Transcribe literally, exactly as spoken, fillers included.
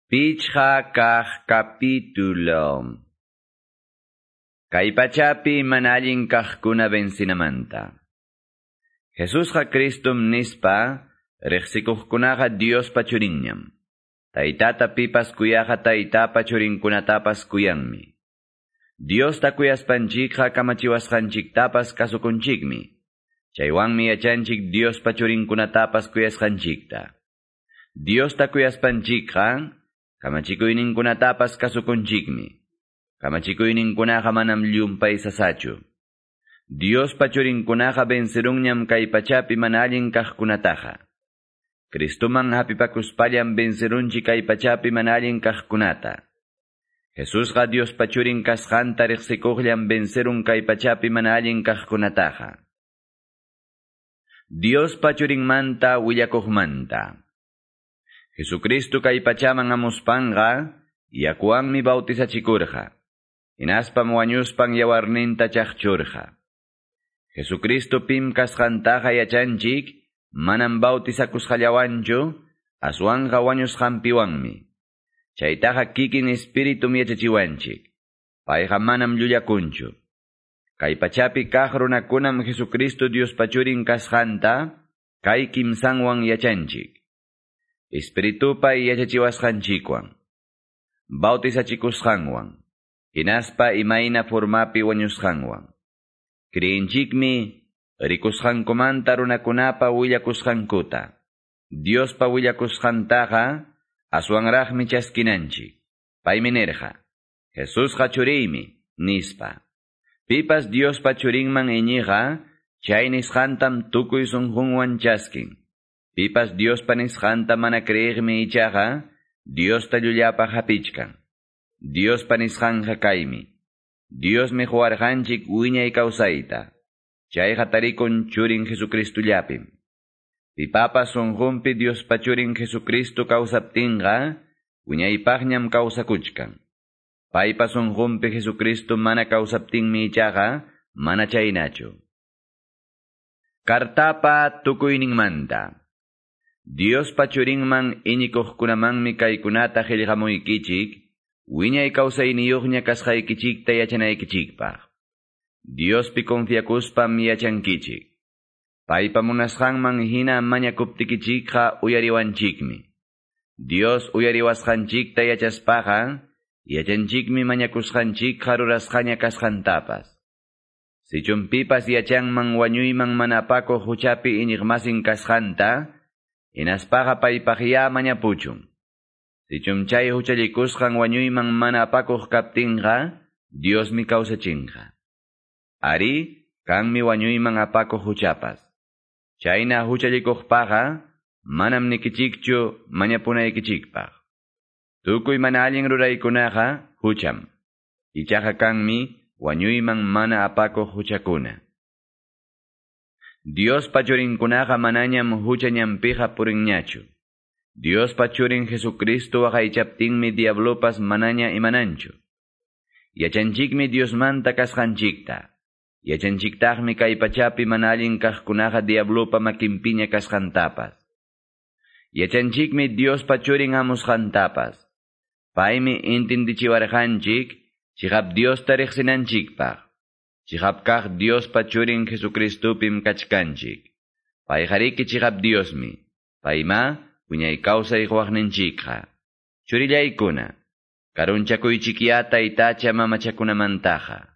Pichqa kaq capítulo. Kay pachapi mana allin kaqkuna vencinamanta. Jesusqa Cristum nispa, riqsikuqkunaqa Diospa churinñam. Taytata pipas kuyaqa taytapa churinkunatapas kuyanmi. Diosta kuyaspanchikqa kamachiwasqanchiktapas kasukunchikmi. Chaywanmi yachanchik Diospa churinkunatapas kuyasqanchikta. Diosta kuyaspanchikqa kamachikuyninkunatapas kasukunchikmi. Kamachikuyninkunaqa manam llumpay sasachu. Diospa churinkunaqa vencerunñam kay pachapi mana allin kaqkunataqa. Cristoman hapipakuspallam vencerunchik kay pachapi mana allin kaqkunata. Jesusqa Diospa churin kasqanta riqsikuqllam vencerun kay pachapi mana allin kaqkunataqa. Diospa churinmanta willakuqmanta. Jesucristo kay pachaman hamuspanqa, yakuwanmi bautizachikurqa. Hinaspam wañuspan yawarninta chaqchurqa. Jesucristo pim kasqantaqa yachanchik, manam bautizakusqallawanchu, aswanqa wañusqanpiwanmi. Chaytaqa kikin espiritum yachachiwanchik. Payqa manam llullakunchu. Kay pachapi kaq runakunam Jesucristo Diospa churin kasqanta, kay kimsanwan yachanchik. Espiritupa yachachiwasqanchikwan, bautizachikusqanwan, hinaspa imayna formapi wañusqanwan. Creenchikmi rikusqankumanta runakunapa willakusqankuta. Diospa willakusqantaqa aswanraqmi chaskinanchik. Paymi nirqa, Jesusqa churiymi, nispa. Pipas Diospa churinman iñiqa, chay nisqantam tukuy sunqunwan chaskin. Pipas Diospa nisqanta mana creeqmi ichaqa, Diosta llullapaq hapichkan. Diospa nisqanqa kaymi. Diosmi quwarqanchik wiñay kawsayta. Chayqa tarikun churin Jesucristullapim. Pipapas sunqunpi Diospa churin Jesucristo kawsaptinqa, wiñaypaqñam kawsakuchkan. Paypa sunqunpi Jesucristo mana kawsaptinmi ichaqa, mana chaynachu. Kartapa tukuyninmanta. Diospa churinman iñikuqkunamanmi kaykunata qillqamuykichik, wiñay kawsayniyuqña kasqaykichikta yachanaykichikpaq. Diospi confiakuspam yachankichik. Paypa munasqanman hina mañakuptikichikqa uyariwanchikmi. Dios uyariwasqanchikta yachaspaqa, yachanchikmi mañakusqanchikqa rurasqaña kasqantapas. Sichum pipas yachanman wañuyman mana apakuq huchapi iñiqmasin kasqanta, hinaspaqa paypaqya mañapuchun. Sichum chay huchallikusqan wañuyman mana apakuq kaptinqa, Diosmi kawsachinqa. Ari, kanmi wañuyman apakuq huchapas. Chayna huchallikuqpaqa, manam nikichikchu mañapunaykichikpaq. Tukuy mana allin ruraykunaqa hucham. Ichaqa kanmi wañuyman mana apakuq huchakuna. Diospa churinkunaqa manañam hucha ñanpiqa purinñachu. Diospa churin Jesucristo waqaychaptinmi diablopas manaña imananchu. Yachanchikmi Diosmanta kasqanchikta. Yachanchiktaqmi kay pachapi mana allin kaqkunaqa diablopa makinpiña kasqantapas. Yachanchikmi Diospa churin hamusqantapas. Paymi intindichiwarqanchik, chiqap Diosta riqsinanchikpaq. Chiqap kaq Diospa churin Jesucristupim kachkanchik. Payqariki chiqap Diosmi. Payma wiñay kawsay quwaqninchikqa. Churillaykuna, karunchakuychikya taytacha mamachakunamantaqa.